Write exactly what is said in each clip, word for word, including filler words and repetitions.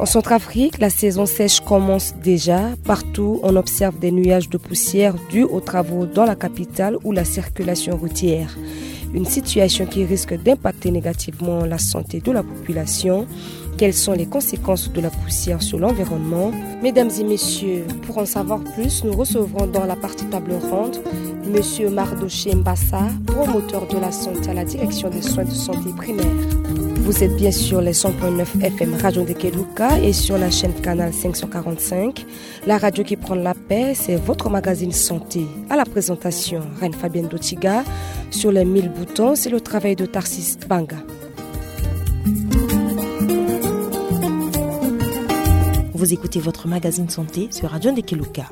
En Centrafrique, la saison sèche commence déjà. Partout, on observe des nuages de poussière dus aux travaux dans la capitale ou la circulation routière. Une situation qui risque d'impacter négativement la santé de la population. Quelles sont les conséquences de la poussière sur l'environnement ? Mesdames et messieurs, pour en savoir plus, nous recevrons dans la partie table ronde Monsieur Mardoché Mbassa, promoteur de la santé à la direction des soins de santé primaire. Vous êtes bien sûr les cent point neuf F M Radio de Keluka et sur la chaîne Canal cinq cent quarante-cinq. La radio qui prend la paix, c'est votre magazine santé. À la présentation, Reine Fabienne Dotiga. Sur les mille boutons, c'est le travail de Tarsis Banga. Vous écoutez votre magazine santé sur Radio Ndekeluka.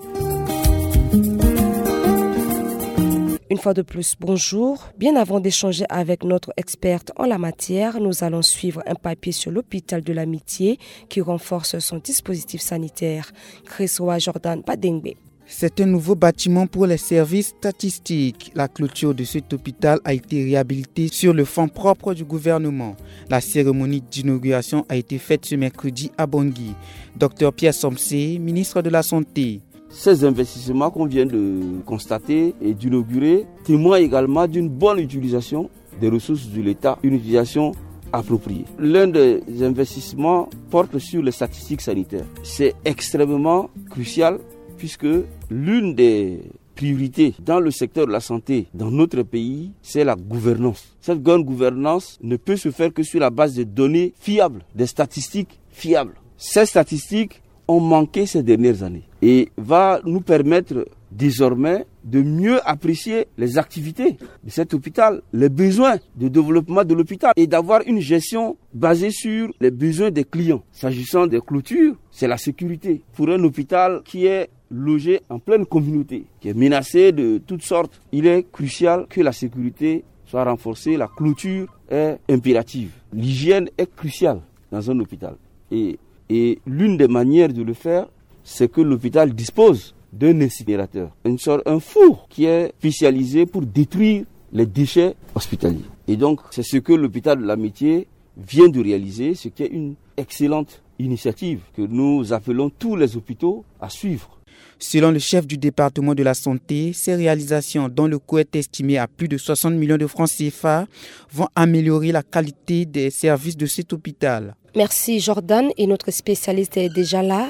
Une fois de plus, bonjour. Bien avant d'échanger avec notre experte en la matière, nous allons suivre un papier sur l'hôpital de l'Amitié qui renforce son dispositif sanitaire. Chris Wa Jordan Badengbe. C'est un nouveau bâtiment pour les services statistiques. La clôture de cet hôpital a été réhabilitée sur le fonds propre du gouvernement. La cérémonie d'inauguration a été faite ce mercredi à Bangui. Docteur Pierre Somsé, ministre de la Santé. Ces investissements qu'on vient de constater et d'inaugurer témoignent également d'une bonne utilisation des ressources de l'État, une utilisation appropriée. L'un des investissements porte sur les statistiques sanitaires. C'est extrêmement crucial puisque l'une des priorités dans le secteur de la santé dans notre pays, c'est la gouvernance. Cette bonne gouvernance ne peut se faire que sur la base de données fiables, des statistiques fiables. Ces statistiques ont manqué ces dernières années et va nous permettre désormais de mieux apprécier les activités de cet hôpital, les besoins de développement de l'hôpital et d'avoir une gestion basée sur les besoins des clients. S'agissant des clôtures, c'est la sécurité. Pour un hôpital qui est logé en pleine communauté, qui est menacé de toutes sortes, il est crucial que la sécurité soit renforcée, la clôture est impérative. L'hygiène est cruciale dans un hôpital. Et, et l'une des manières de le faire, c'est que l'hôpital dispose d'un incinérateur, une sorte, un four qui est spécialisé pour détruire les déchets hospitaliers. Et donc, c'est ce que l'hôpital de l'Amitié vient de réaliser, ce qui est une excellente initiative que nous appelons tous les hôpitaux à suivre. Selon le chef du département de la santé, ces réalisations, dont le coût est estimé à plus de soixante millions de francs C F A, vont améliorer la qualité des services de cet hôpital. Merci Jordan, et notre spécialiste est déjà là,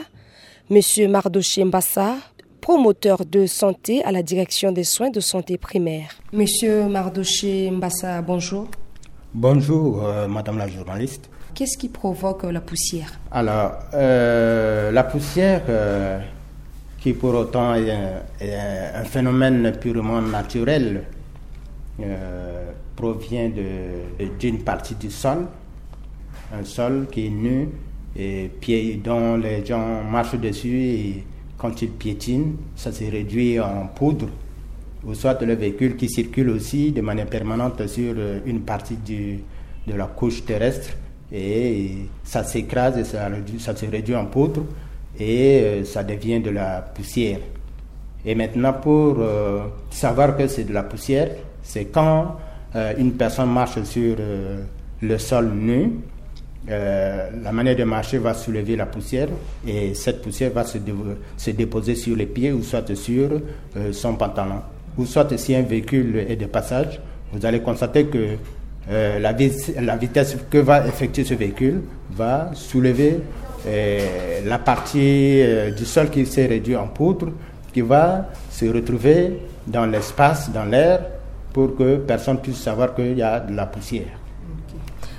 Monsieur Mardoché Mbassa, promoteur de santé à la direction des soins de santé primaire. Monsieur Mardoché Mbassa, bonjour. Bonjour, euh, madame la journaliste. Qu'est-ce qui provoque la poussière ? Alors, euh, la poussière, euh, qui pour autant est un, est un phénomène purement naturel, euh, provient de, d'une partie du sol, un sol qui est nu et pied, dont les gens marchent dessus et quand ils piétinent, ça se réduit en poudre, ou soit le véhicule qui circule aussi de manière permanente sur, euh, une partie du, de la couche terrestre et ça s'écrase et ça, réduit- ça se réduit en poudre et, euh, ça devient de la poussière. Et maintenant, pour, euh, savoir que c'est de la poussière, c'est quand, euh, une personne marche sur, euh, le sol nu, euh, la manière de marcher va soulever la poussière et cette poussière va se, dé- se déposer sur les pieds ou soit sur, euh, son pantalon. Ou soit si un véhicule est de passage, vous allez constater que, euh, la, vi- la vitesse que va effectuer ce véhicule va soulever, euh, la partie, euh, du sol qui s'est réduit en poudre, qui va se retrouver dans l'espace, dans l'air, pour que personne puisse savoir qu'il y a de la poussière.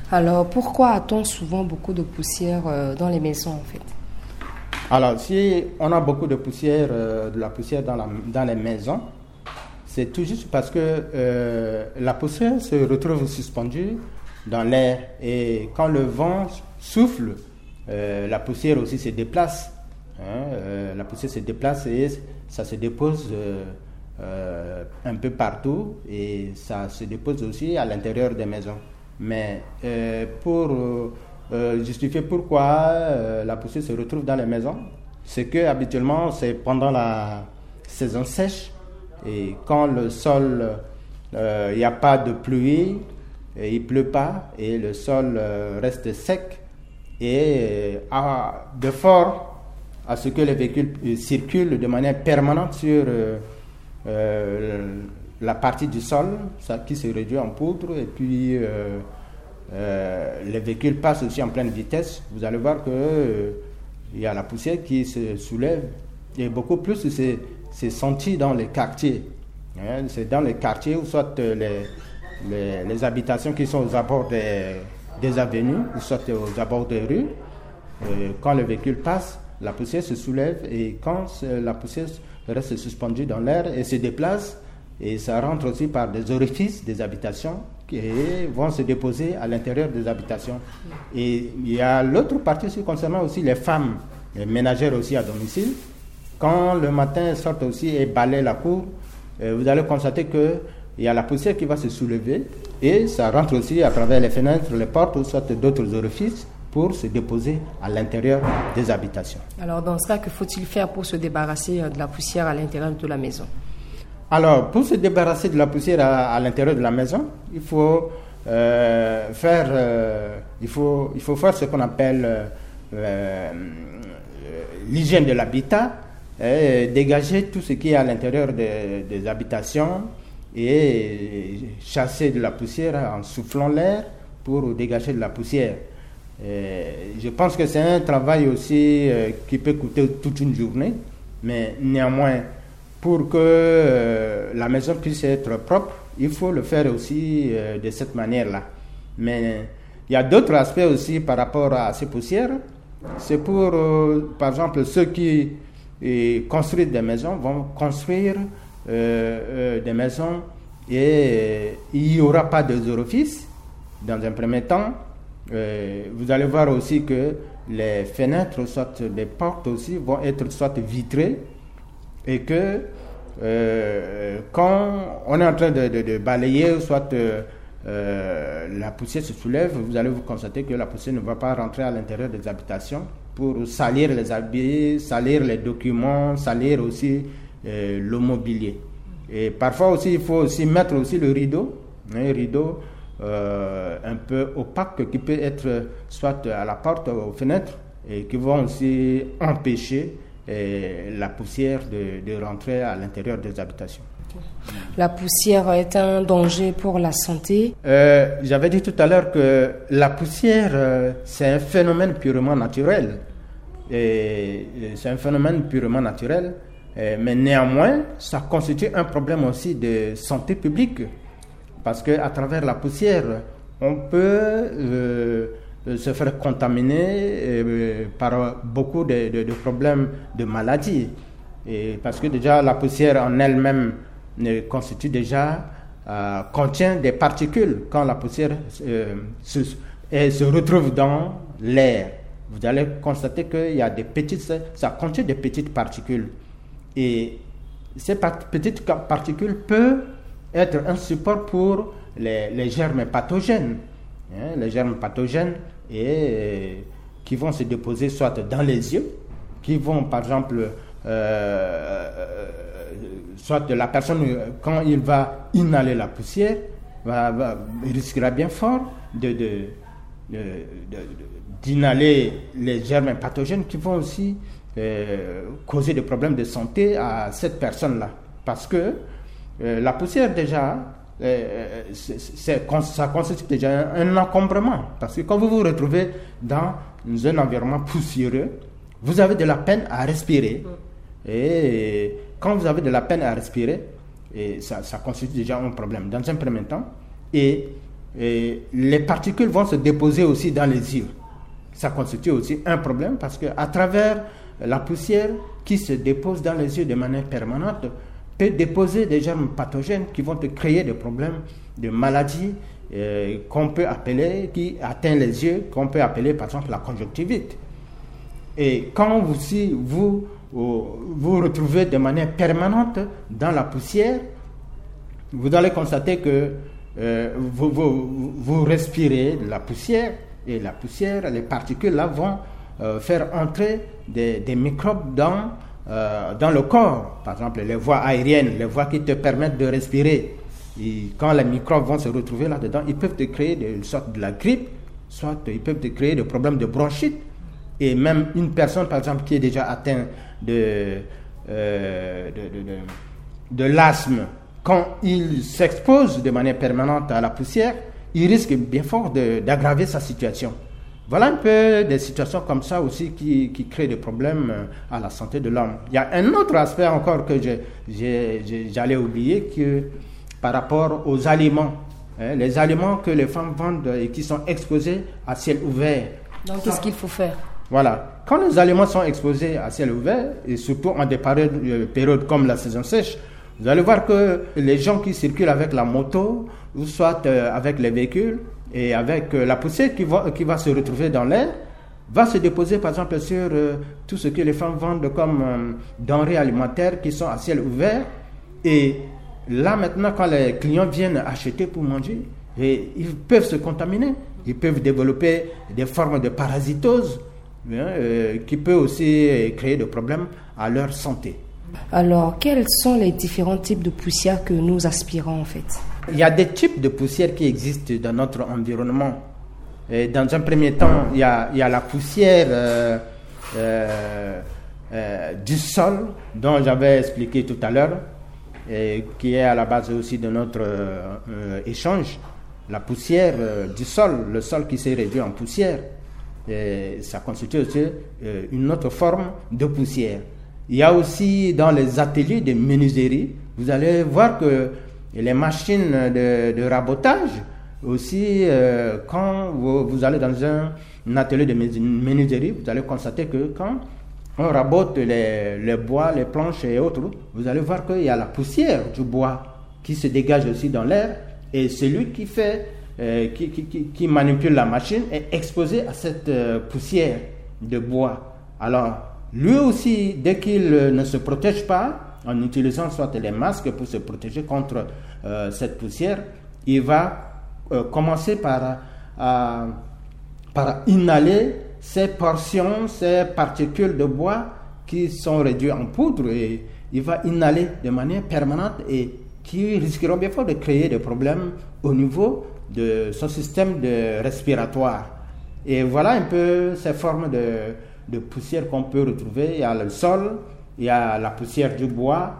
Alors, pourquoi a-t-on souvent beaucoup de poussière, euh, dans les maisons, en fait ? Alors, si on a beaucoup de poussière, euh, de la poussière dans la, dans les maisons, c'est tout juste parce que, euh, la poussière se retrouve suspendue dans l'air et quand le vent souffle, euh, la poussière aussi se déplace. Hein, euh, la poussière se déplace et ça se dépose, euh, euh, un peu partout et ça se dépose aussi à l'intérieur des maisons. Mais, euh, pour, euh, euh, justifier pourquoi, euh, la poussière se retrouve dans les maisons, c'est que habituellement, c'est pendant la saison sèche et quand le sol, euh, il n'y a pas de pluie, et il pleut pas et le sol, euh, reste sec, Et euh, à, de force à ce que les véhicules euh, circulent de manière permanente sur euh, euh, la partie du sol, ça, qui se réduit en poudre, et puis euh, euh, les véhicules passent aussi en pleine vitesse. Vous allez voir que euh, il y a la poussière qui se soulève, et beaucoup plus c'est senti dans les quartiers. Hein, c'est dans les quartiers où soit euh, les, les, les habitations qui sont aux abords des, des avenues, ou soit aux abords des rues. Euh, quand le véhicule passe, la poussière se soulève, et quand euh, la poussière reste suspendue dans l'air et se déplace, et ça rentre aussi par des orifices des habitations et vont se déposer à l'intérieur des habitations. Et il y a l'autre partie aussi concernant aussi les femmes, les ménagères aussi à domicile. Quand le matin elles sortent aussi et balayent la cour, euh, vous allez constater que il y a la poussière qui va se soulever et ça rentre aussi à travers les fenêtres, les portes ou soit d'autres orifices pour se déposer à l'intérieur des habitations. Alors, dans ce cas, que faut-il faire pour se débarrasser euh, de la poussière à l'intérieur de la maison ? Alors, pour se débarrasser de la poussière à, à l'intérieur de la maison, il faut euh, faire, euh, il faut, il faut faire ce qu'on appelle euh, euh, l'hygiène de l'habitat, et dégager tout ce qui est à l'intérieur de- des habitations et chasser de la poussière en soufflant l'air pour dégager de la poussière. Euh, je pense que c'est un travail aussi euh, qui peut coûter toute une journée, mais néanmoins, pour que euh, la maison puisse être propre, il faut le faire aussi euh, de cette manière-là. Mais il y a d'autres aspects aussi par rapport à ces poussières. C'est pour, euh, par exemple, ceux qui euh, construisent des maisons vont construire euh, euh, des maisons et euh, il n'y aura pas de orifices dans un premier temps. Euh, vous allez voir aussi que les fenêtres, soit les portes aussi, vont être soit vitrées et que euh, quand on est en train de, de- de balayer, soit euh, euh, la poussière se soulève, vous allez vous constater que la poussière ne va pas rentrer à l'intérieur des habitations pour salir les habits, salir les documents, salir aussi euh, le mobilier. Et parfois aussi, il faut aussi mettre aussi le rideau, un rideau euh, un peu opaque qui peut être soit à la porte, aux fenêtres, et qui vont aussi empêcher euh, la poussière de, de rentrer à l'intérieur des habitations. La poussière est un danger pour la santé. Euh, J'avais dit tout à l'heure que la poussière, euh, c'est un phénomène purement naturel. Et euh, c'est un phénomène purement naturel. Euh, mais néanmoins, ça constitue un problème aussi de santé publique. Parce qu'à travers la poussière, on peut euh, se faire contaminer euh, par beaucoup de, de- de problèmes de maladies. Et parce que déjà, la poussière en elle-même ne constitue déjà, euh, contient des particules. Quand la poussière euh, se, elle se retrouve dans l'air, vous allez constater qu'il y a des petites, ça contient des petites particules. Et ces par- petites ca- particules peuvent être un support pour les, les germes pathogènes. Hein, les germes pathogènes et euh, qui vont se déposer soit dans les yeux, qui vont par exemple, euh, euh, soit la personne, euh, quand il va inhaler la poussière, va, va- risquera bien fort de, de- de- de- de- d'inhaler les germes pathogènes qui vont aussi euh, causer des problèmes de santé à cette personne-là. Parce que euh, la poussière déjà, euh, c'est- c'est- cons- ça constitue déjà un, un encombrement. Parce que quand vous vous retrouvez dans un environnement poussiéreux, vous avez de la peine à respirer. Et quand vous avez de la peine à respirer, et ça, ça constitue déjà un problème. Dans un premier temps, et, et les particules vont se déposer aussi dans les yeux. Ça constitue aussi un problème parce que à travers la poussière qui se dépose dans les yeux de manière permanente peut déposer des germes pathogènes qui vont te créer des problèmes de maladies euh, qu'on peut appeler, qui atteint les yeux, qu'on peut appeler par exemple la conjonctivite. Et quand vous, si vous euh, vous retrouvez de manière permanente dans la poussière, vous allez constater que euh, vous, vous- vous respirez la poussière et la poussière, les particules là vont euh, faire entrer des, des microbes dans, euh, dans le corps. Par exemple, les voies aériennes, les voies qui te permettent de respirer. Et quand les microbes vont se retrouver là-dedans, ils peuvent te créer des sortes de la grippe Soit ils peuvent te créer des problèmes de bronchite. Et même une personne, par exemple, qui est déjà atteinte de, euh, de, de, de, de l'asthme, quand il s'expose de manière permanente à la poussière, il risque bien fort de- d'aggraver sa situation. Voilà un peu des situations comme ça aussi qui, qui créent des problèmes euh, à la santé de l'homme. Il y a un autre aspect encore que je- j'ai- j'ai- j'allais oublier, que par rapport aux aliments, hein, les aliments que les femmes vendent et qui sont exposés à ciel ouvert. Donc, qu'est-ce qu'il faut faire? Voilà. Quand les aliments sont exposés à ciel ouvert, et surtout en des périodes, euh, périodes comme la saison sèche, vous allez voir que les gens qui circulent avec la moto, ou soit euh, avec les véhicules, et avec euh, la poussière qui va, qui va se retrouver dans l'air, va se déposer par exemple sur euh, tout ce que les femmes vendent comme euh, denrées alimentaires qui sont à ciel ouvert. Et là maintenant, quand les clients viennent acheter pour manger, et ils peuvent se contaminer, ils peuvent développer des formes de parasitose, hein, euh, qui peut aussi euh, créer des problèmes à leur santé. Alors, quels sont les différents types de poussière que nous aspirons en fait? Il y a des types de poussière qui existent dans notre environnement. Et dans un premier temps, il y a, il y a la poussière euh, euh, euh, du sol dont j'avais expliqué tout à l'heure, et qui est à la base aussi de notre euh, euh, échange. La poussière euh, du sol, le sol qui s'est réduit en poussière, et ça constitue aussi euh, une autre forme de poussière. Il y a aussi dans les ateliers de menuiserie, vous allez voir que les machines de, de rabotage aussi, euh, quand vous, vous allez dans un, un atelier de menu- menuiserie, vous allez constater que quand on rabote les, les bois, les planches et autres, vous allez voir qu'il y a la poussière du bois qui se dégage aussi dans l'air, et celui qui fait, euh, qui, qui- qui- qui manipule la machine est exposé à cette euh, poussière de bois. Alors, lui aussi, dès qu'il euh, ne se protège pas en utilisant soit les masques pour se protéger contre euh, cette poussière, il va euh, commencer par, euh, par inhaler ces portions, ces particules de bois qui sont réduites en poudre, et il va inhaler de manière permanente et qui risqueront bien fort de créer des problèmes au niveau de son système de respiratoire. Et voilà un peu ces formes de, de poussière qu'on peut retrouver. Il y a le sol, il y a la poussière du bois,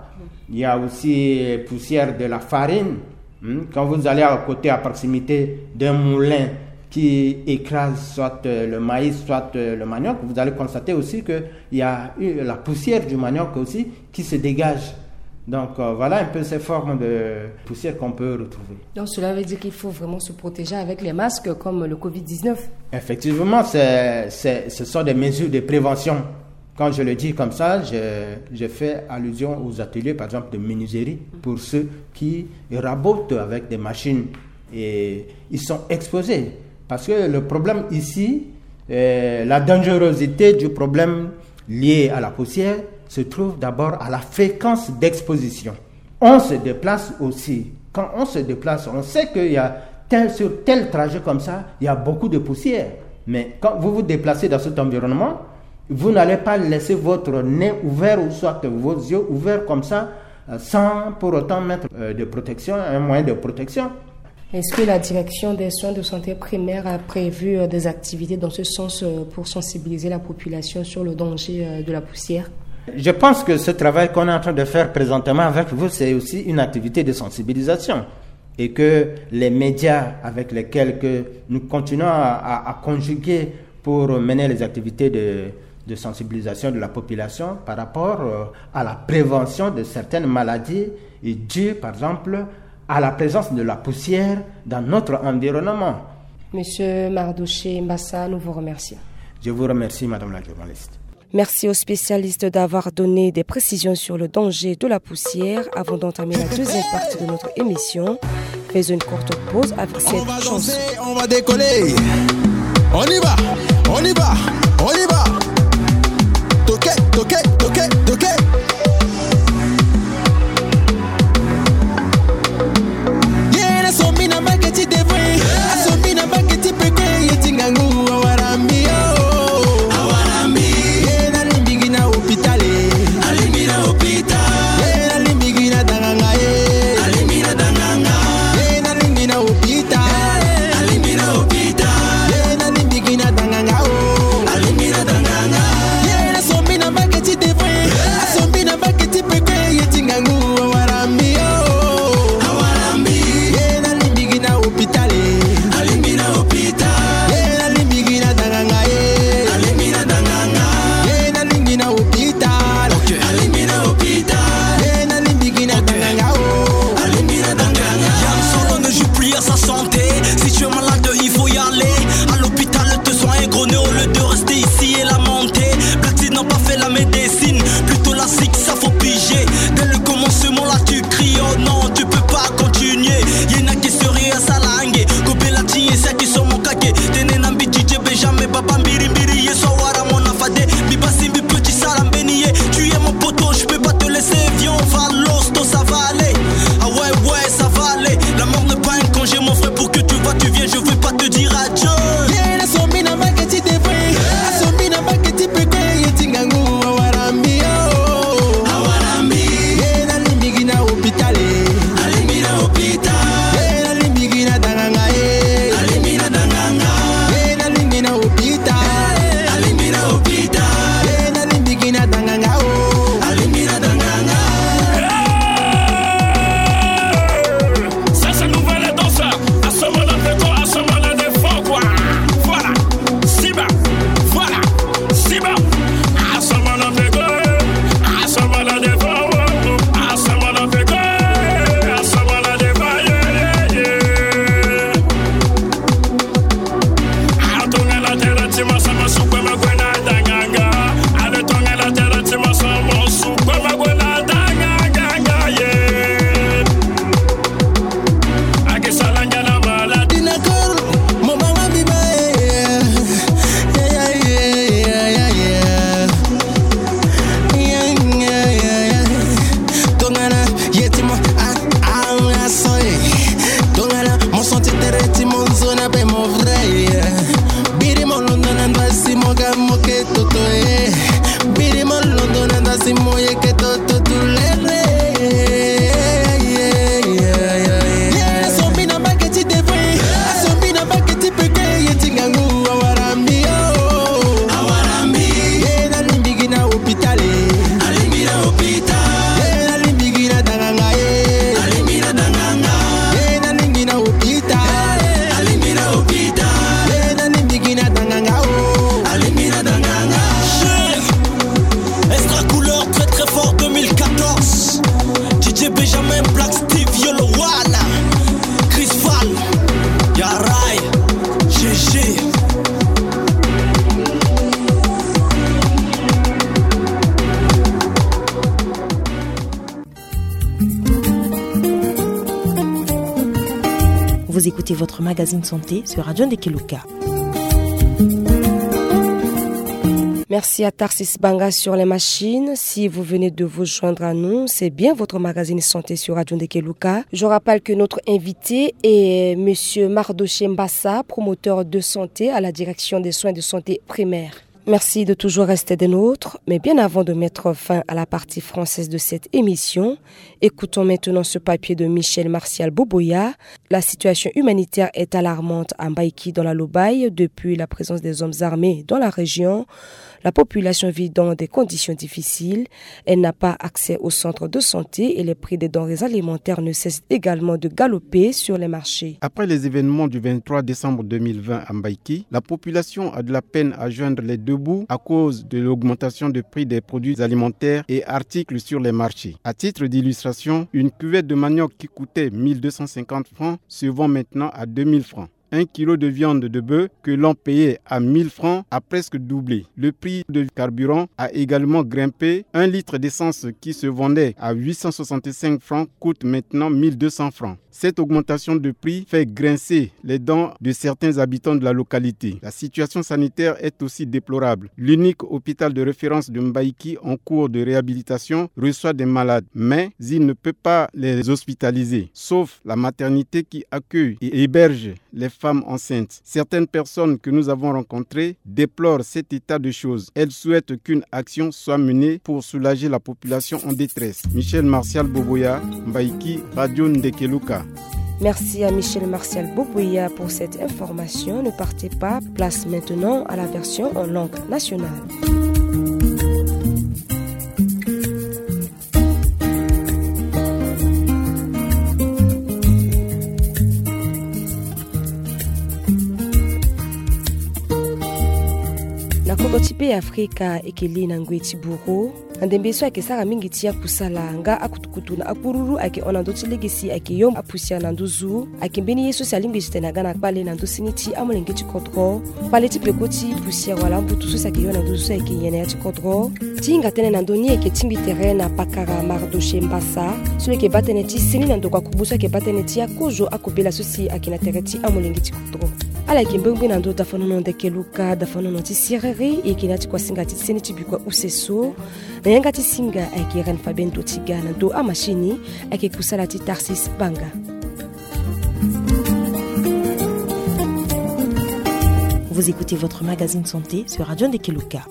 il y a aussi poussière de la farine. Hmm. Quand vous allez à côté, à proximité d'un moulin qui écrase soit euh, le maïs, soit euh, le manioc, vous allez constater aussi qu'il y a eu la poussière du manioc aussi qui se dégage. Donc euh, voilà un peu ces formes de poussière qu'on peut retrouver. Donc, cela veut dire qu'il faut vraiment se protéger avec les masques comme le covid dix-neuf. Effectivement, c'est- c'est- ce sont des mesures de prévention. Quand je le dis comme ça, je, je fais allusion aux ateliers, par exemple, de menuiserie, pour ceux qui rabotent avec des machines. Et ils sont exposés. Parce que le problème ici, euh, la dangerosité du problème lié à la poussière se trouve d'abord à la fréquence d'exposition. On se déplace aussi. Quand on se déplace, on sait qu'il y a tel, sur tel trajet comme ça, il y a beaucoup de poussière. Mais quand vous vous déplacez dans cet environnement, vous n'allez pas laisser votre nez ouvert ou soit vos yeux ouverts comme ça, euh, sans pour autant mettre euh, de protection, un moyen de protection. Est-ce que la direction des soins de santé primaires a prévu euh, des activités dans ce sens euh, pour sensibiliser la population sur le danger euh, de la poussière? Je pense que ce travail qu'on est en train de faire présentement avec vous, c'est aussi une activité de sensibilisation. Et que les médias avec lesquels que nous continuons à, à- à conjuguer pour mener les activités de, de sensibilisation de la population par rapport euh, à la prévention de certaines maladies dues, par exemple, à la présence de la poussière dans notre environnement. Monsieur Mardoché Mbassa, nous vous remercions. Je vous remercie, Madame la journaliste. Merci aux spécialistes d'avoir donné des précisions sur le danger de la poussière. Avant d'entamer la deuxième partie de notre émission, faisons une courte pause avec cette chanson. On va décoller. On y va, on y va, on y va. Toquet, toquet, toquet, toquet. Yena sombi na mbaketi devwe, asombi na mbaketi peke, yeti ngangu awarami yo. Awarami. Yena limbingi na hôpital. Alimbi na hôpital. Yena limbingi na danganga e. Alimbi na danganga. Yena limbingi na hôpital. Alimbi na hôpital. Yena Tongana ye ti mo, ah, ah, ah, so, eh. Tongana mo senti tere ti mo nzoni ape mo vrai, eh. Biri mo londo na ndasi mo ga mo ke toto, eh. Biri mo londo na ndasi mo ye ke toto tulere. Sombi na baketi devre, sombi na baketi peke ye ti ngangu awarambi, oh. Awarambi. Ye na limbigi na hôpital, eh. Alimbi na hôpital. Ye na limbigi na danganga, eh. Alimbi na danganga. Ye na lingi na hôpital. Alimbi na hôpital. Ye na limbigi na danganga, oh. Alimbi na danganga. Extra couleur très très fort deux mille quatorze. D J Benjamin, Black Steve, Yolo One, Chris Fall, Yarai, G G. Vous écoutez votre magazine santé sur Radio Ndekeluka. Merci à Tarsis Banga sur les machines. Si vous venez de vous joindre à nous, c'est bien votre magazine santé sur Radio Ndekeluka. Je rappelle que notre invité est monsieur Mardoché Mbassa, promoteur de santé à la direction des soins de santé primaires. Merci de toujours rester des nôtres, mais bien avant de mettre fin à la partie française de cette émission, écoutons maintenant ce papier de Michel Martial Boboya. La situation humanitaire est alarmante à Mbaïki dans la Lobaye. Depuis la présence des hommes armés dans la région, la population vit dans des conditions difficiles. Elle n'a pas accès au centre de santé et les prix des denrées alimentaires ne cessent également de galoper sur les marchés. Après les événements du vingt-trois décembre deux mille vingt à Mbaïki, la population a de la peine à joindre les deux bouts à cause de l'augmentation du prix des produits alimentaires et articles sur les marchés. À titre d'illustration, une cuvette de manioc qui coûtait mille deux cent cinquante francs se vend maintenant à deux mille francs. Un kilo de viande de bœuf que l'on payait à mille francs a presque doublé. Le prix de carburant a également grimpé. Un litre d'essence qui se vendait à huit cent soixante-cinq francs coûte maintenant mille deux cents francs. Cette augmentation de prix fait grincer les dents de certains habitants de la localité. La situation sanitaire est aussi déplorable. L'unique hôpital de référence de Mbaïki en cours de réhabilitation reçoit des malades, mais il ne peut pas les hospitaliser, sauf la maternité qui accueille et héberge les femmes enceintes. Certaines personnes que nous avons rencontrées déplorent cet état de choses. Elles souhaitent qu'une action soit menée pour soulager la population en détresse. Michel Martial Boboya, Mbaïki, Radio Ndekeluka. Merci à Michel Martial Boboya pour cette information. Ne partez pas, place maintenant à la version en langue nationale. Na kodro ti Be Afrika, e ke li na ngoi ti buru. Na ndembe so ayeke sara mingi ti akusala nga akutukutu na akururu ayeke hon na ndö ti lege si ayeke yo apusière na nduzu. Ayeke mbeni ye so si alingbi ti tene aga na kpale na ndö seni ti amolenge ti kodro. Kpale ti peko ti pusière wala ambutu so si ayeke yo na nduzu so ayeke nyen na ya ti kodro. Ti hinga tënë na ndö ni ayeke tingbi tere na pakara Mardoché Mbassa so lo yeke baa tënë ti seni na ndokua kubu so ayeke baa tënë ti akozo akobela so si ayeke na tere ti amolenge ti kodro. Ala yeke mbengbe na ndö dafanono Ndekeluka, dafanono ti siriri, e yeke na ya ti kuasinga ti seni ti bikua use so. Na yanga ti singa ayeke Reine Fabienne Dotiga, na ndö amachine ayeke kusala ti Tarsis Banga. Vous écoutez votre magazine santé sur Radio Ndekeluka.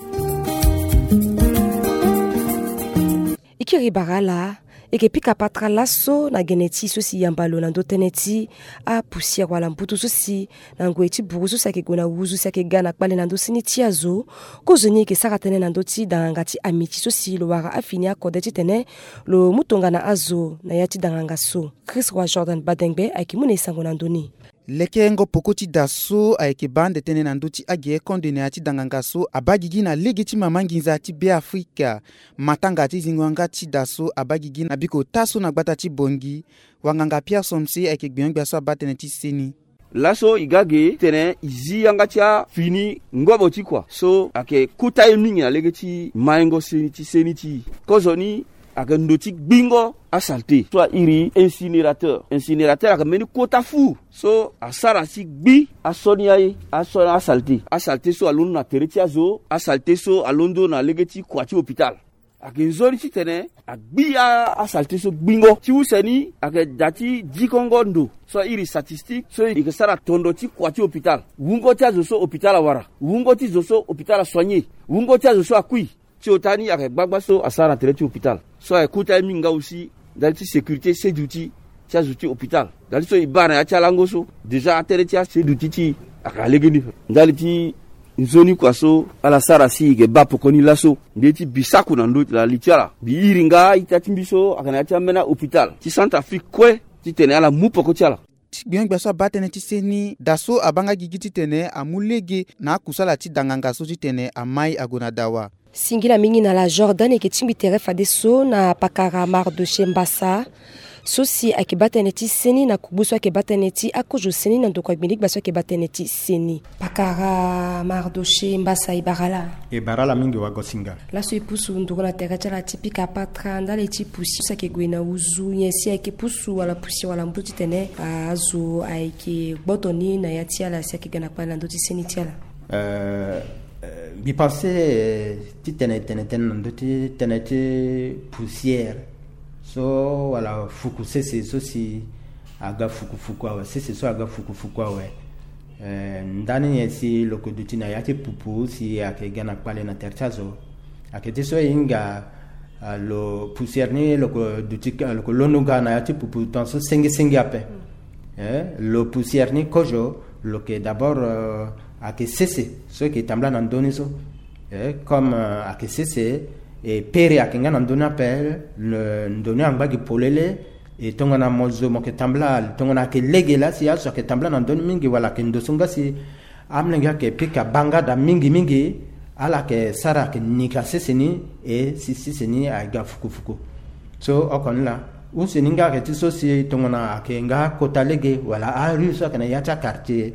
E kiri bara ala, e yeke pika patara laso na gene ti so si yamba lo na ndö tënë ti apusière wala mbutu so si na ngoi ti buru so si ayeke gue na wuzu si ayeke ga na kpale na ndö seni ti azo. Kozoni e yeke sara tënë na ndö ti danganga ti amiti so si lo wara afini akode titene lo mu tongana azo na ya ti danganga so. Chris Roi Jordan Badengbe ayeke mu na e sango na ndö ni. Lekerengo peko ti da so ayeke baa ande tënë na ndö ti agerekonde na ya ti danganga so abaa gigi na lege ti mama nginza ti Be Afrika. Matanga ti zingo yanga ti da so abaa gigi na biko ota so na gbata ti Bongi. Wanganga Pierre Somse ayeke gbenyo-gbia so abaa tënë ti seni. Laso e ga ge titene e zi yanga ti afini ngobo ti kua so ayeke kota ye mingi na lege ti maingo seni ti seni ti e. Kozoni ayeke ndo ti gbingo asalte so airi incinérateur. Incinérateur ayeke mbeni kota fu so asara si gbi asoni aye, asoni asalte. Asalte so alondo na tere ti azo, asalte so alondo na lege ti kua ti hôpital. Ayeke nzoni titene agbi a- asalte so gbingo. Ti use ni ayeke da ti dikongo ndo so airi statistique so e yeke sara tondo ti kua ti hôpital. Wungo ti azo so hôpital awara, wungo ti zo so hôpital asoigné, wungo ti azo so akui. Ti ota ni ayeke gbagba so asara na tere ti hôpital. So ayeke kota ye mingi nga aussi ndali ti sécurité seduti ti azo ti hôpital. Ndali so e baa na ya ti alango so déjà atënë ti aseduti ti e ayeke na legeni. Ndali ti nzoni kua so ala sara si e yeke baa poko ni laso. Nde ti bisaku na ndö na li ti ala, mbi iri nga ita ti mbi so ayeke na ya ti ambeni ahôpital ti Centrafrique kue titene ala mu poko ti ala. Ti gbengbia so abaa tënë ti seni, da so abaa nga gigi titene amu lege na akusala ti danganga so titene amai ague na dawa. Singila mingi na la Jordan e yeke tingbi tere fadeso na pakara Mardochée Mbassa so si ayeke baa tënë ti seni na kugbu so ayeke baa tënë ti akozo seni na ndokua gbinigba so ayeke baa tënë ti seni. Pakara Mardochée Mbassa, e bara ala. E bara ala mingi wagosinga. Laso e pusu nduru na tere ti ala ti pika patra ndali ti poussière so ayeke gue na uzu nyen si ayeke pusu wala poussière wala mbu titene azo ayeke gboto ni na ya ti ala si ayeke ga na kpale na ndö ti seni ti ala. Euh, euh, mbi pense, euh, titene tene tënë na ndö ti tënë ti poussière so wala fuku sese so si aga fuku fuku awe, sese so aga fuku fuku awe. Eh, ndani nyen si lo yeke duti na ya ti pupu si ayeke ga na kpale na tere ti azo? Ayeke ti so e hinga, ah, lo poussière ni lo yeke duti, lo yeke londo ga na ya ti pupu tongaso senge senge ape. Eh, lo poussière ni kozo lo yeke d'abord, euh, ayeke sese so e yeke tambula na ndö ni so. Eh, comme, euh, ayeke sese, e pere ayeke nga na ndö ni ape, le, ndö ni angba gi polele. E tongana mo zo mo yeke tambula, tongana ayeke lege laa si azo ayeke tambula na ndö ni mingi wala ayeke ndo so nga si amolenge ayeke pika baa nga daa mingi mingi, ala yeke sara ayeke nika sese ni, e si sese ni aga fuku fuku. So oko ni laa, use ni nga ayeke ti so si tongana ayeke nga akota lege wala arue so ayeke na ya ti akartier.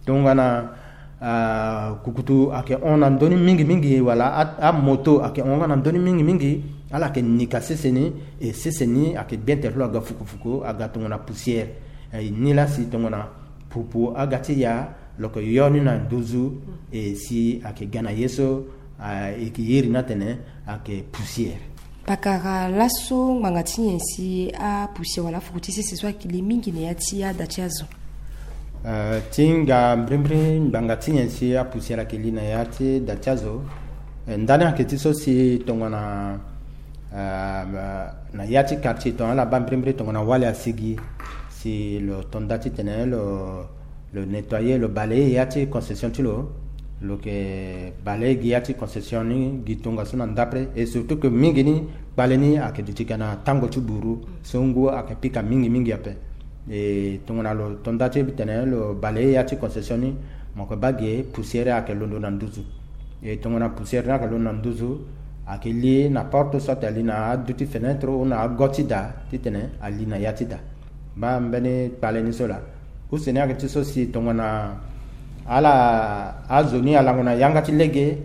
Tongana, ah, kukutu ayeke hon na ndö ni mingi mingi wala a, amoto ayeke hon nga na ndö ni mingi mingi, ala yeke nika sese ni, e sese ni ayeke bien tere ti lo aga fuku fuku, aga tongana poussière. Eh, ni laa si tongana pupu aga ti ya, lo yeke yo ni na nduzu, e si ayeke ga na ye so, ah, e yeke iri ni atene ayeke poussière. Pakara laso ngbanga ti nyen si apoussière wala afuku ti sese so ayeke li mingi na ya ti ada ti azo? Eh, ti hinga mbirimbiri ngbanga ti nyen si apoussière ayeke li na ya ti da ti azo? Eh, ndani ayeke ti so si tongana, eh, na ya ti quartier tongana ala baa mbirimbiri tongana wali asigi, si lo to nda titene lo lo nettoyer, lo balayer ya ti concession ti lo. Lo yeke balayer gi ya ti concession ni gi tongaso na ndapre, et surtout que mingi ni kpale ni ayeke duti ga na tango ti buru so ngu ayeke pika mingi mingi ape. E tongana lo to nda ti tene lo balayer ya ti concession ni, mo yeke baa ge poussière ayeke londo na nduzu. E tongana poussière ni ayeke londo na nduzu, ayeke li na porte soit ali na adu ti fenêtre ou na ago ti da titene ali na ya ti da. Baa mbeni kpale ni so laa. Use ni ayeke ti so si tongana ala azo ni alango na yanga ti lege,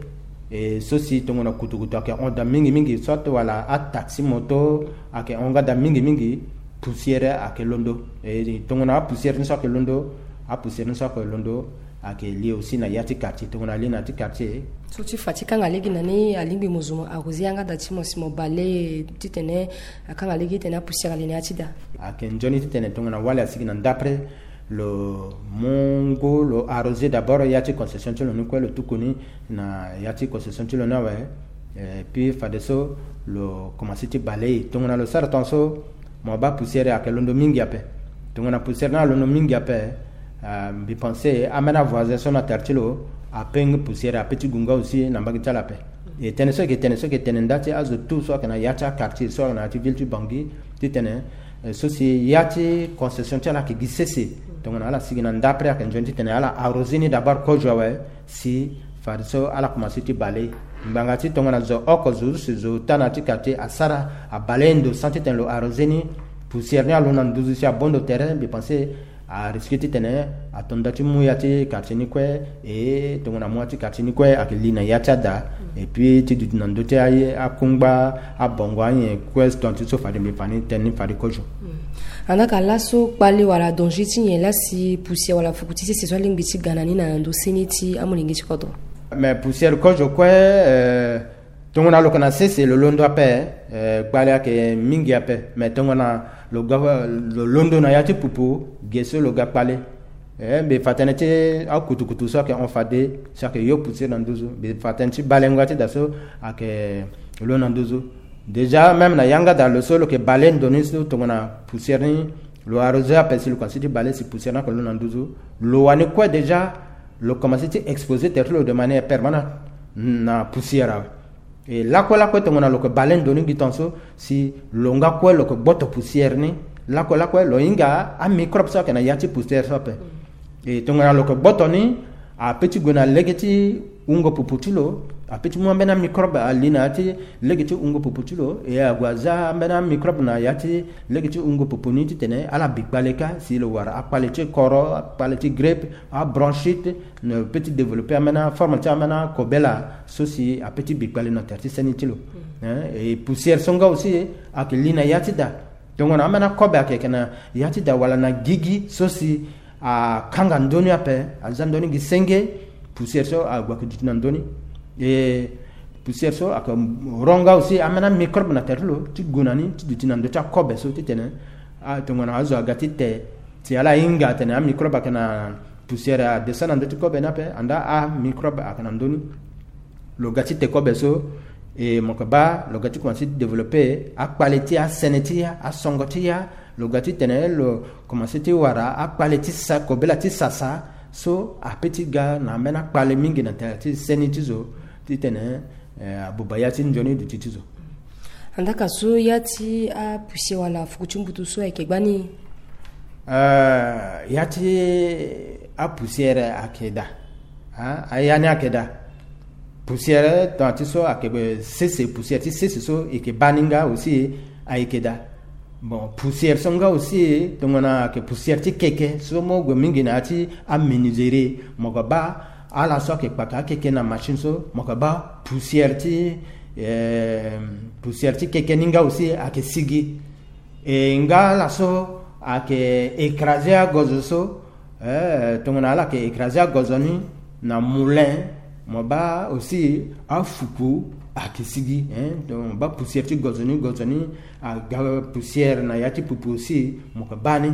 e so si tongana kutukutu ayeke hon daa mingi mingi, soit wala ataxi moto ayeke hon nga daa mingi mingi, poussière ayeke londo. E tongana apoussière ni so ayeke londo, apoussière ni so ayeke londo, ayeke li aussi na ya ti quartier. Tongana ali na ya ti quartier, so ti fa ti kanga lege na ni, alingbi mo zo mo arroser yanga da ti mo si mo balayer titene akanga lege titene apoussière ali na ya ti da. Ayeke nzoni titene tongana wali asigi na ndapre, lo mu ngu lo arroser d'abord ya ti concession ti lo ni kue, lo tuku ni na ya ti concession ti lo ni awe. Eh, puis fadeso lo commencer ti balayer. Tongana lo sara tongaso, mo baa poussière ayeke londo mingi ape. Tongana poussière ni alondo mingi ape, ah, mbi pense ambeni avoisin so na tere ti lo ape ngi poussière ape ti gu nga aussi na mbage ti ala ape. E tënë so e yeke tene, so e yeke tene nda ti azo tout so ayeke na ya ti aquartier so ayeke na ya ti ville ti Bangui, titene, eh, so si ya ti concession ti ala ayeke gi sese. Tongana ala sigi na ndapre, ayeke nzoni titene ala arroser ni d'abord kozo awe, si fadeso ala commencer ti balayer. Ngbanga ti tongana zo oko, zo use, zo ota na ya ti quartier asara, abalayer ndo sans titene lo arroser ni, poussière ni alondo na nduzu si abondo tere, mbi pense Arisque titene ato nda ti mu ya ti quartier ni kue. E tongana mu ya ti quartier ni kue ayeke li na ya ti ada. Et puis ti duti na ndö ti aye akungba, abongo, anyen kue tonga ti so fade mbi fa ni tënë ni fade kozo. Andaa ka laso kpale wala danger ti nyen laa si poussière wala fuku ti sese so alingbi ti ga na ni na ndo seni ti amolenge ti kodro? Mais poussière kozo kue, eh, tongana lo yeke na sese lo londo ape, eh, kpale ayeke mingi ape. Mais tongana lo ga, lo londo na ya ti pupu, ge so lo ga kpale. Eh, mbi fa tënë ti akutukutu so ayeke hon fade, so ayeke yo poussière na nduzu. Mbi fa tënë ti balengo ya ti da so ayeke lo na nduzu. Déjà même na yanga da lo so lo yeke bale ndo ni so tongana poussière ni, lo arrosé ape si lo komanse ti bale si poussière ni ayeke lo na nduzu. Lo wani kue déjà lo komanse ti exposer tere ti lo de manière permanente na poussière awe. E lakue lakue tongana lo yeke bale ndo ni gi tonga so, si lo nga kue lo yeke gboto poussière ni, lakue lakue lo hinga amicrobe so ayeke na ya ti poussière so ape. E tongana lo yeke gboto ni, ape ti gue na lege ti wungo pupu ti lo, ape ti mu ambeni amicrobe ali na ya ti lege ti wungo pupu ti lo, e ague aza ambeni amicrobe na ya ti lege ti wungo pupu ni titene ala bi kpale kâ si lo wara akpale ti koro, akpale ti grippe, abronchite, na peut ti développer ambeni aforme ti ambeni akobela so si ape ti bi kpale na tere ti seni ti lo. Hein, e poussière so nga aussi ayeke li na ya ti da. Tongana ambeni akobe ayeke yeke na ya ti da wala na gigi so si akanga ndö ni ape, aza ndö ni gi senge, poussière so ague ayeke duti na ndö ni. E poussière so ayeke ro nga aussi ambeni amicrobe na tere ti lo ti gue na ni ti duti na ndö ti akobe so titene, ah, tongana azo aga ti te, si ala hinga atene amicrobe ayeke na poussière adescend na ndö ti kobe ni ape, andaa amicrobe ayeke na ndö ni. Lo ga ti te kobe so, e mo yeke baa lo ga ti komanse ti développer akpale ti asene ti ya, asongo ti ya, lo ga titene lo komanse ti wara akpale ti sa, kobela ti sasa so ape ti ga na ambeni akpale mingi na tere ti seni ti zo titene, eh, abuba ya ti nzoni duti ti zo. Andaa ka so ya ti apoussière wala fuku ti mbutu so ayeke gbani? Eh, ya ti apoussière ayeke daa. Ah, aya ni ayeke daa. Poussière tongana ti so ayeke sese, poussière ti sese so e yeke baa ni nga aussi ayeke daa. Bon, poussière so nga aussi tongana ayeke poussière ti keke so mo gue mingi na ya ti amenuiserie, mo yeke baa ala so ayeke kpaka akeke na machine so, mo yeke baa poussière ti, eh, poussière ti keke ni nga aussi ayeke sigi. E nga ala so ayeke écraser agozo so, eh, tongana ala yeke écraser agozo ni na moulin, mo baa aussi afuku ayeke sigi, hein. Donc mo baa poussière ti gozo ni, gozo ni aga poussière na ya ti pupu aussi, mo yeke baa ni.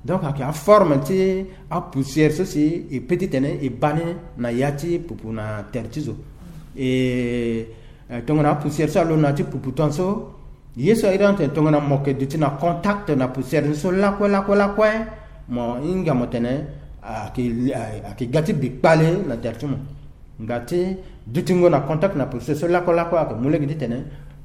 Donc ayeke aforme ti apoussière so si e peut titene e baa ni na ya ti pupu na tere ti zo. E, eh, tongana apoussière so alo na ya ti pupu tongaso, ye so a iri atene tongana mo yeke duti na contact na poussière ni so lakue lakue lakue, mo hinga mo tene ayeke, ayeke ga ti bi kpale na tere ti mo. Nga ti dutingo na contact na poussière so lakue lakue ayeke mu lege titene,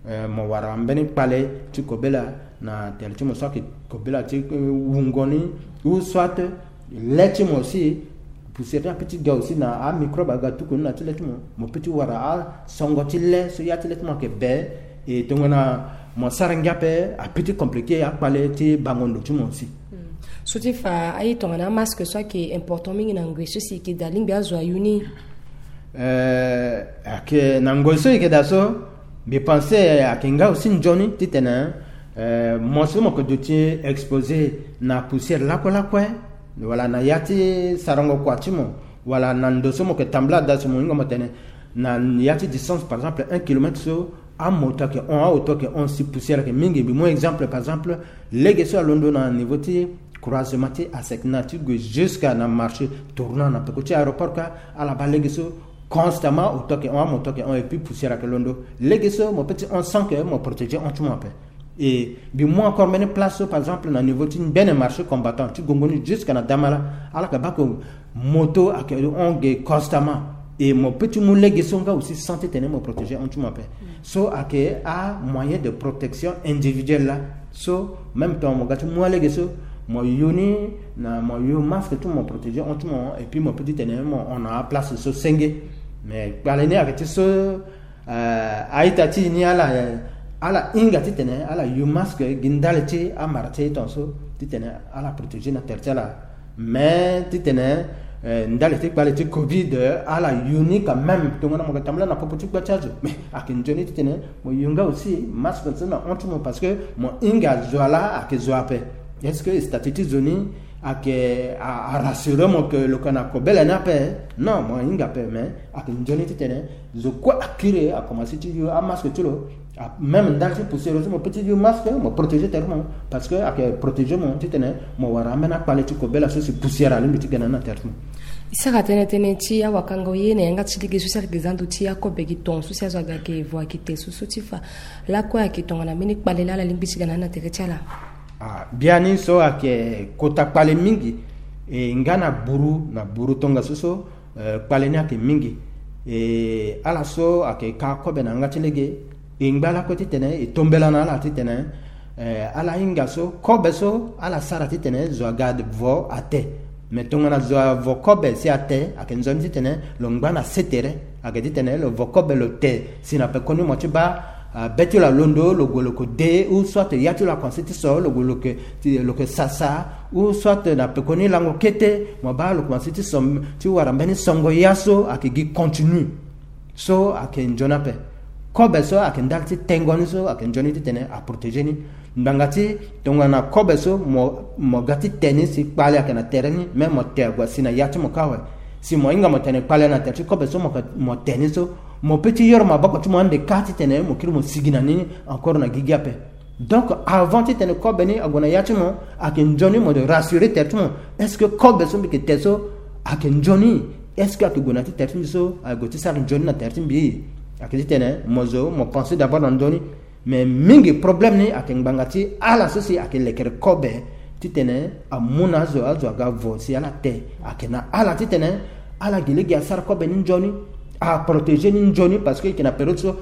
eh, mo wara mbeni kpale ti kobela na tere ti mo, soit ayeke kobela ti, eh, wungo ni, ou soit le ti mo aussi, poussière ti ape ti ga aussi na amicrobe aga tuku ni na ti le ti mo, mo peut ti wara asongo ti le so ya ti le ti mo ayeke be. E tongana mo sara ngia ape, ape ti compliquer akpale ti bango ndo ti mo aussi. Hmm. So ti fa aye tongana amasque so ayeke important mingi na ngoi so si e yeke daa, lingbi azo ayu ni? Eh, ayeke na ngoi so e yeke daa so, mbi pense ayeke nga aussi nzoni titene, eh, mo so mo yeke duti exposer na poussière lakue lakue, wala na ya ti sarango kua ti mo, wala na ndo so mo yeke tambula daa so, mo hinga mo tene na ya ti distance, par exemple, un kilomètre so, amoto ayeke hon, aoto ayeke hon, si poussière ayeke mingi. Mbi mu exemple, par exemple, lege so alondo na niveau ti croisement ti Asecna ti gue jusqu'à na marché tournant na peko ti aéroport kâ, ala baa lege so constamment aoto ayeke hon, amoto ayeke hon, et puis poussière ayeke londo. Lege so mo peut ti hon sans que mo protéger hon ti mo ape. E mbi mu encore mbeni place so, par exemple, na niveau ti mbeni marché combattant ti gongo ni jusqu'à na Damala, ala yeke baa ke moto ayeke hon ge constamment. E mo peut ti mu lege so nga aussi sans titene mo protéger hon ti mo ape. So ayeke amoyen de protection individuelle laa. So même temps mo ga ti mu alege so, mo yo ni na mo yo masque ti mo, mo protéger hon ti mo, et puis mo peut titene mo hon na aplace so senge. Mais kpale ni ayeke ti so, eh, a-ita ti e ni ala, eh, ala hinga titene ala yo masque gi ndali ti amara ti e tongaso titene ala protéger na tere ti ala. Mais titene, eh, ndali ti kpale ti covid, eh, ala yu ni quand même, tongana mo yeke tambula na popo ti gba ti azo, mais ayeke nzoni titene mo yu nga aussi masque so na hon ti mo, parce que mo hinga zo ala ayeke zo ape. Est-ce que statut ti zo ni ayeke a, a rassurer mo que lo yeke na kobela ni ape? Non, mo hinga ape, mais ayeke nzoni titene zo kue akiri akomanse ti yu amasque ti lo. Ah, même ndali ti poussière aussi, mo peut ti yu masque, mo protéger tere ti mo, parce que ayeke protéger mo titene mo wara ambeni akpale ti kobela so si poussière alingbi ti ga na ni na tere ti mo. E sara tënë tënë ti awakango ye na yanga ti lege so si ayeke za ndo ti akobe gi ton so si azo aga ayeke vo ayeke te so so ti fa lakue ayeke tongana mbeni kpale laa ala lingbi ti ga na ni na tere ti ala. Ah, biani so ayeke kota kpale mingi, e nga na buru na buru tongaso so, eh, kpale ni ayeke mingi. E ala so ayeke ka kobe na yanga ti lege, e ngba lakue titene e tombela na ala titene, eh, ala hinga so kobe so ala sara titene zo aga vo ate. Mais tongana zo avo kobe si ate, ayeke nzoni titene lo ngba na se tere, ayeke titene lo vo kobe lo te si na pekoni mo ti baa, ah, be ti lo alondo, lo gue lo yeke de, ou soit ya ti lo akomanse ti so, lo gue lo yeke ti, lo yeke sasa, ou soit na pekoni lango kete mo baa lo komanse ti so, ti wara mbeni songo ya so ayeke gi continue. So ayeke nzoni ape. Kobe so ayeke ndali ti tengo ni so ayeke nzoni titene aprotéger ni. Ngbanga ti tongana kobe so mo, mo ga ti te ni si kpale ayeke na tere ni, me mo te ague asi na ya ti mo kâ awe. Si mo hinga mo tene kpale na tere ti kobe so mo, mo te ni so, mo peut ti yoro maboko ti mo ande kâ titene mo kiri mo sigi na ni encore na gigi ape. Donc avant titene kobe ni ague na ya ti mo, ayeke nzoni mo rassurer tere ti mo. Est-ce que kobe so mbi yeke te so ayeke nzoni? Est-ce que ayeke gue na ya ti tere ti mbi so, ague ti sara nzoni na tere ti mbi? Ayeke titene mo zo mo penser d'abord na ndö ni. Mais mingi problème ni ayeke ngbanga ti ala so si ayeke lekere kobe titene amu na azo, azo aga vo si ala te. Ayeke na ala titene ala gi lege asara kobe ni nzoni, aprotéger ni nzoni, parce que e yeke na période so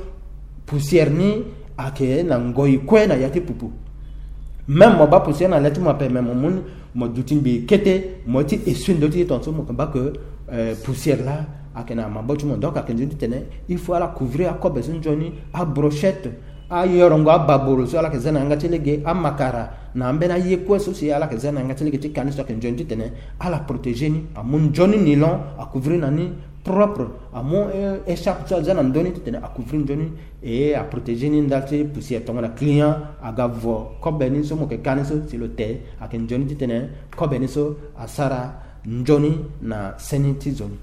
poussière ni ayeke na ngoi kue na ya ti pupu. Même mo baa poussière na le ti mo ape, mais mo mu ni, mo duti mbi kete, mo ye ti essuie ndö ti ye tongaso mo yeke baa que, euh, poussière laa ayeke na maboko ti mo. Donc ayeke nzoni titene il faut ala couvrir akobe so nzoni, abrochette, ayorongo, ababolo so ala yeke za na yanga ti lege, amakara na ambeni aye kue so si ala yeke za na yanga ti lege ti ka ni so ayeke nzoni titene ala protéger ni, amu nzoni nilon, acouvrir na ni propre, amu, eh, écharpe so aza na ndö ni titene acouvrir nzoni, e aprotéger ni ndali ti poussière. Tongana client aga vo kobe ni so mo yeke ka ni so, si lo te, ayeke nzoni titene kobe ni so asara nzoni na seni ti zo ni.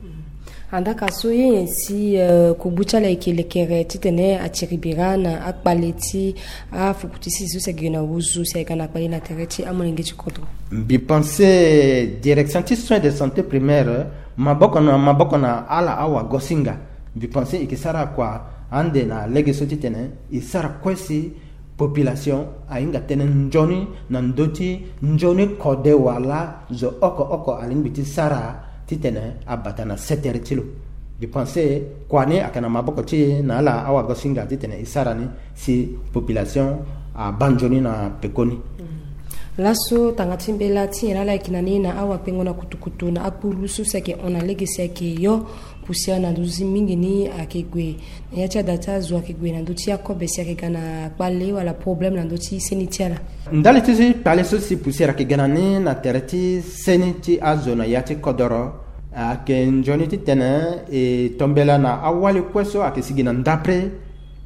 Andaka so ye nyen si, eh, kubu ti ala eke lekere titene atiri bira na akpale ti afuku ti sisi so si ayeke na wuzu si ayeke na kpale na tere ti amolenge ti kodro? Mbi pense direction ti soins de santé primaire, maboko na maboko na ala awagosinga, mbi pense e ke sara kua ande na lege so titene e sara kue si population ahinga tënë nzoni na ndö ti nzoni kode wala zo oko oko alingbi ti sara titene abata na setere ti lo. Mbi pense kua ni ayeke na maboko ti e na ala awagosinga titene e sara ni si population abaa nzoni na pekoni. Laso tanga ti mbela ti nyen laa ala yeke na ni na awakpengo na kutukutu na akpuru so si ayeke hon na lege si ayeke yo poussière na ndö ti mingi ni ayeke gue na ya ti ada ti azo, ayeke gue na ndö ti akobe si ayeke ga na kpale wala problème na ndö ti seni ti ala? Ndali ti kpale so si poussière ayeke ga na ni na tere ti seni ti azo na ya ti kodoro, ayeke nzoni titene e tombela na awali kue so ayeke sigi na ndapre,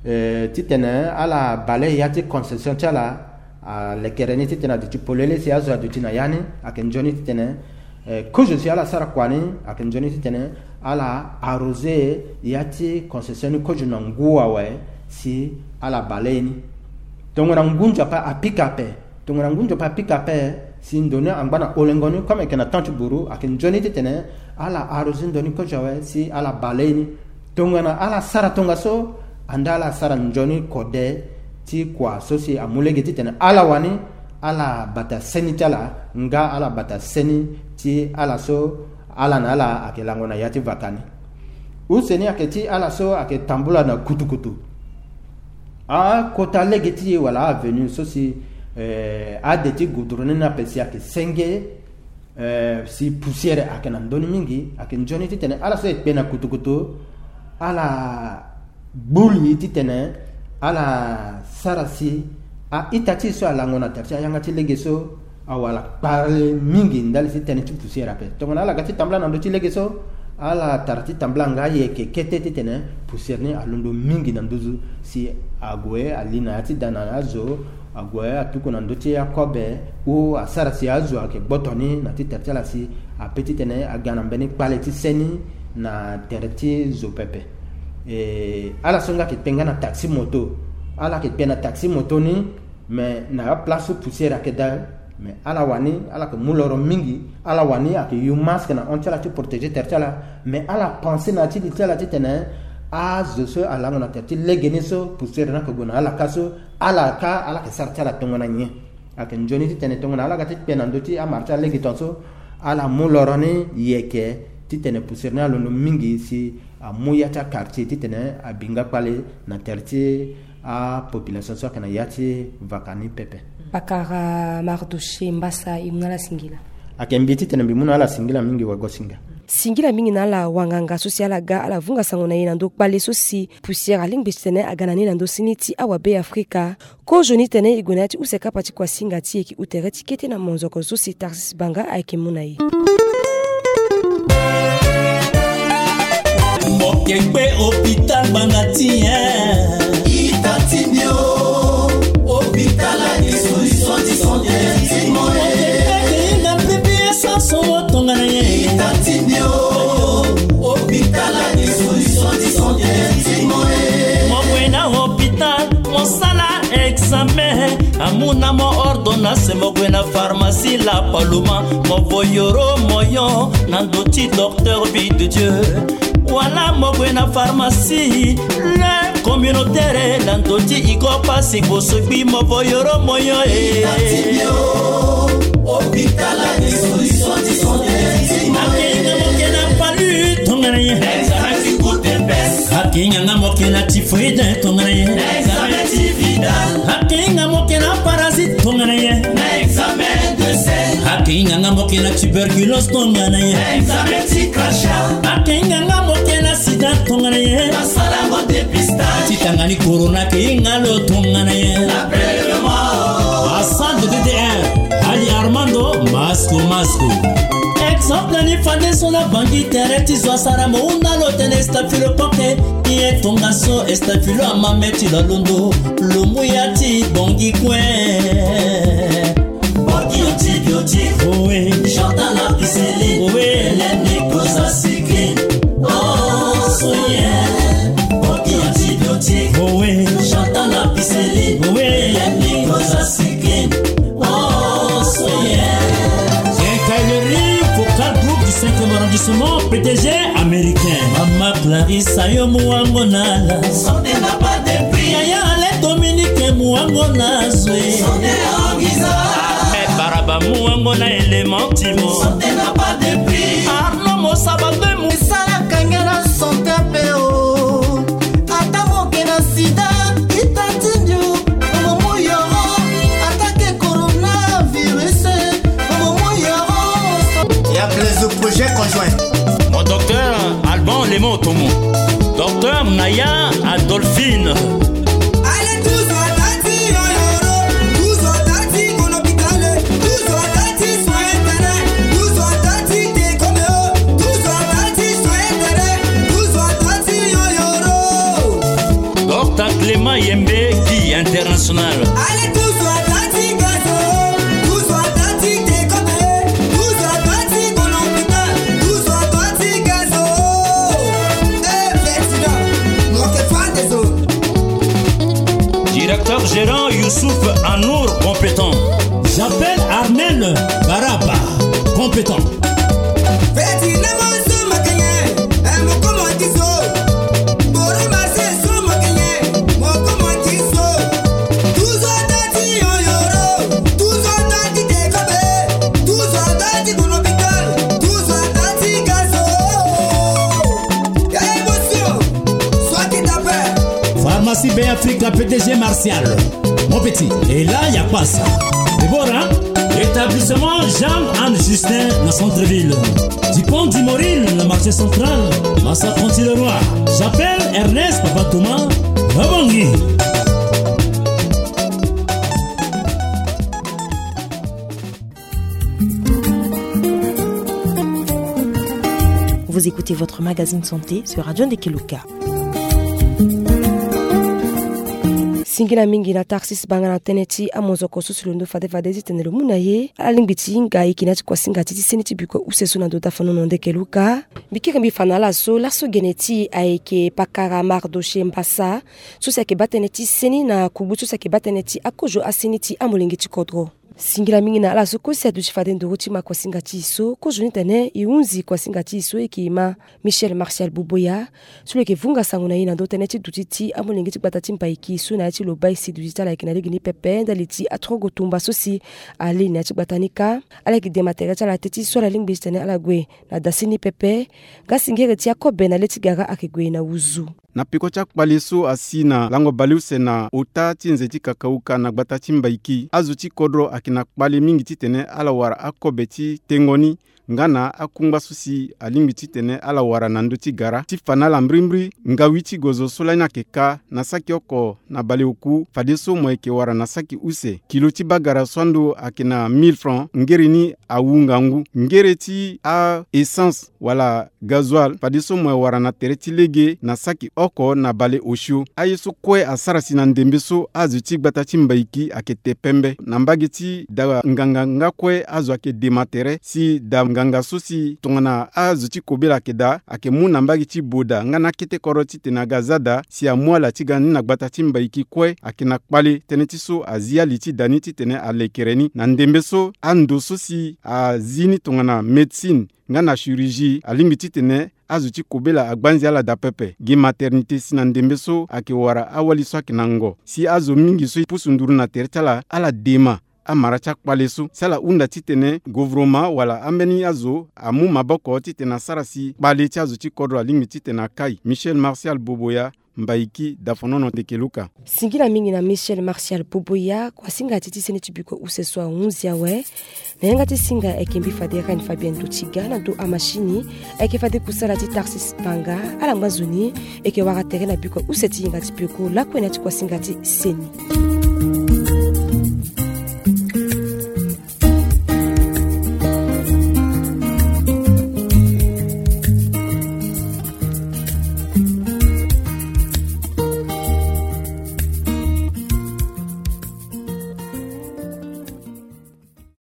eh, titene ala bale ya ti concession ti ala, alekere ni titene aduti polele si azo aduti na ya ni, ayeke nzoni titene, eh, kozo si ala sara kua ni, ayeke nzoni titene ala arroser ya ti concession ni kozo na ngu awe si ala bale ye ni. Tongana ngu nzapa apika ape, tongana ngu nzapa apika ape, si ndo ni angba na olengo ni, comme ayeke na temps ti buru, ayeke nzoni titene ala arroser ndo ni kozo awe si ala bale ye ni. Tongana ala sara tongaso, ande ala sara nzoni kode ti kua so si amu lege titene ala wani ala bata seni ti ala, nga ala bata seni ti ala so ala na ala ayeke lango na ya ti vaka ni. Use ni ayeke ti ala so ayeke tambula na kutukutu. Akota lege ti e wala avenue so si, eh, ade ti goudron ni ape si ayeke senge, eh, si poussière ayeke na ndö ni mingi, ayeke nzoni titene ala so e kpe na kutukutu, ala gbu li titene ala sara si a-ita ti e so alango na tere ti ayanga ti lege so Awa ala kpale mingi ndali ti tënë ti poussière ape. Tongana ala ga ti tambula na ndö ti lege so, ala tara ti tambula nga ayeke kete titene poussière ni alondo mingi na nduzu si ague ali na ya ti da na azo, ague atuku na ndö ti akobe, ou asara si azo ayeke gboto ni na ti tere ti ala si ape titene aga na mbeni kpale ti seni na tere ti zo pepe. E, ala so nga ayeke kpe nga na taxi moto. Ala yeke kpe na taxi moto ni, mais na aplace so poussière ayeke daa. Mais ala wani, ala yeke mu loro mingi. Ala wani ayeke yu masque na hon ti ala ti protéger tere ti ala. Mais ala pensé na ya ti li ti ala titene azo so alango na tere ti lege ni so poussière ni ayeke gue na ala ka so, ala ka ala yeke sara ti ala tongana nyen? Ayeke nzoni titene tongana ala ga ti kpe na ndö ti amara ti alege tongaso, ala mu loro ni yeke titene poussière ni alondo mingi si amu ya ti aquartier titene abi nga kpale na tere ti apopulation so ayeke na ya ti vaka ni pepe. Pakara Mardoché Mbassa, e mu na ala singila. Ayeke mbi titene mbi mu na ala singila mingi wagosinga. Singila mingi na ala wanganga so si ala ga ala vunga sango na e na ndö kpale so si poussière alingbi titene aga na ni na ndö sini ti awabe Afrika. Kozoni tene e gue na ya ti use kapa ti kuasinga ti e ki u tere ti kete na monzoko so si Tarsis Banga ayeke mu na e. Mo ke kpe hôpital banga ti e. Ita ti mbi o. Hôpital ayeke solution ti santé ti mo e. Mo ke kpe ke hinga P P S so mo tongana nyen? Ita ti mbi o. Hôpital ayeke solution ti santé ti mo e. Mo gue na hôpital, mo sala examen, amu na mo ordonnance, mo gue na pharmacie La Paloma, mo vo yoro moyo na ndö ti docteur Vie de Dieu. Wala mo gue na pharmacie Le Communautaire na ndö ti Igor Passy Bosogbi, mo vo yoro moyo e. Hôpital ayeke solution ti santé ti mo e. Ayeke hinga mo ke na palu tongana nyen? Examen ti goutte épaisse. Ayeke hinga nga mo ke na typhoïde tongana nyen? Na examen ti Vidal. Ayeke hinga mo ke na parasite tongana nyen? Na examen de sel. Ayeke hinga nga mo ke na tuberculose tongana nyen? Na examen ti crachat. Ayeke hinga nga mo ke na sida tongana nyen? Na sala yango dépistage. Ti tanga ni corona ayeke hinga lo tongana nyen? Na prélèvement. Hassan de D D R, Ali Armando, Masco Masco. Exemple ni fade so na bangi tere ti zo asara mo hunda lo tene staphylocoque. Ye tongaso staphylo amame ti lo alondo, lo mu ya ti bongi kue. Bongi antibiotique. Owe. Chantal ampicilline. Owe. Hélène nicosacycline. Oh, soye. Bongi antibiotique. Owe. Chantal ampicilline. Owe. Hélène nicosacycline. Oh, soye. Quincaillerie Focal, groupe du cinquième arrondissement, P D G américain. Mama Clarisse, ayo muango na la. Santé n'a pas de prix. Yaya Alain Dominique, muango na zwe. Santé en Giza. Eh, Baraba, muango na élément timo. Santé n'a pas de prix. Arnaud Mosaba, mu- Sala kangela santé pe o. Ata mo ke na sida, ita ti ndio, mo mo yoro, ata ke coronavirus, mo mo yoro. Ya Blaise, projet conjoint. Mon docteur Alban Lemo Otomo. Docteur Naya Adolphine. Allez, tous à Tati, yo, yo, yo. Tous à Tati, mon hôpital. Tous à Tati, soin intérêt. Tous à Tati, t'es comme eux. Tous à Tati, soin intérêt. Tous à Tati, yo, yo, yo. Docteur Clément Yembe, Guy International. Allez, tous à Tati, gazo. Tous à Tati, t'es comme eux. Tous à Tati, mon hôpital. Tous à Tati, gazo. Eh, président, manquez pas des autres. Directeur gérant Youssouf Anour, compétent. J'appelle Armel Baraba, compétent. Pharmacie Bay Africa, P D G Martial. Mon petit, et là, y a pas ça. Déborah, établissement Jean-Anne Justin, na centre-ville. Dupont du Moril, le marché central, Massa Conti le Roi. J'appelle Ernest Papa Thomas, Rabongi. Vous écoutez votre magazine santé sur Radio Ndekeluka. Singila mingi na Tarsis Banga na tënë ti amozoko so si lo ndo fade fade titene lo mu na ye ala lingbi ti hinga ayeke na ya ti kuasinga ti ti seni ti biko use so na ndo dafanono Ndekeluka. Mbi kiri mbi fa na ala so laso gene ti e ayeke pakara Mardoche Mbassa, so si ayeke baa tënë ti seni na kugbu so si ayeke baa tënë ti akozo aseni ti amolenge ti kodro. Singila mingi na ala so kue si aduti fade nduru ti ma kuasinga ti e so, kozo ni tene e hunzi kuasinga ti e so e yeke e ma Michel Martial Boboya, so lo yeke vunga sango na e na ndo tënë ti duti ti amolenge ti gbata ti Mbaiki so na ya ti lo baa e si duti ti ala ayeke na lege ni pepe ndali ti atrogo tumba so si ale na ya ti gbata ni kâ. Ala yeke dema tere ti ala teti so ala lingbi titene ala gue na dasi ni pepe. Nga singiri ti akobe na le ti gara ayeke gue na wuzu. Na peko ti akpale so asi na lango baleuse na ota ti nze ti kakauka na gbata ti Mbaiki, azo ti kodro ayeke na kpale mingi titene ala wara akobe ti tengo ni nga na akungba so si alingbi titene ala wara na ndö ti gara. Ti fa na ala mbrimbri, ngawi ti gozo so lani ayeke kâ na saki oko na baleoku, fadeso mo yeke wara na saki use. Kilo ti bagara so ando ayeke na mille francs, ngere ni awu ngangu. Ngere ti a-essence wala gasoil, fadeso mo wara na tere ti lege na saki oko na baleosio. Aye so kue asara si na ndembe so azo ti gbata ti Mbaiki ayeke te pembe. Na mbage ti da nganga nga kue azo ayeke dema tere si da nganga so si tongana azo ti kobela ayeke daa, ayeke mu na mbage ti Boda nga na akete kodro titene aga za daa si amu ala ti ga ni na gbata ti Mbaiki kue ayeke na kpale. Tënë ti so azi ali ti da ni titene alekere ni. Na ndembe so ando so si azi ni tongana médecine nga na chirurgie alingbi titene azo ti kobela agbanzi ala daa pepe. Gi maternité si na ndembe so ayeke wara awali so ayeke na ngo. Si azo mingi so e pusu nduru na tere ti ala, ala dema amara ti akpale so si ala hunda titene govoroma wala ambeni azo amu maboko titene asara si kpale ti azo ti kodro alingbi titene akai. Michel Martial Boboya, Mbaiki, Dafonono, Ndekeluka. Singila mingi na Michel Martial Boboya. Kuasinga ti ti seni ti biko use so ahunzi awe. Na yanga ti singa ayeke mbi fade Reine Fabienne Dotiga, na ndo amashini ayeke fade kusala ti Tarsis Banga. Ala ngba nzoni e yeke wara tere na biko use ti yinga ti peko lakue na ya ti kuasinga ti seni.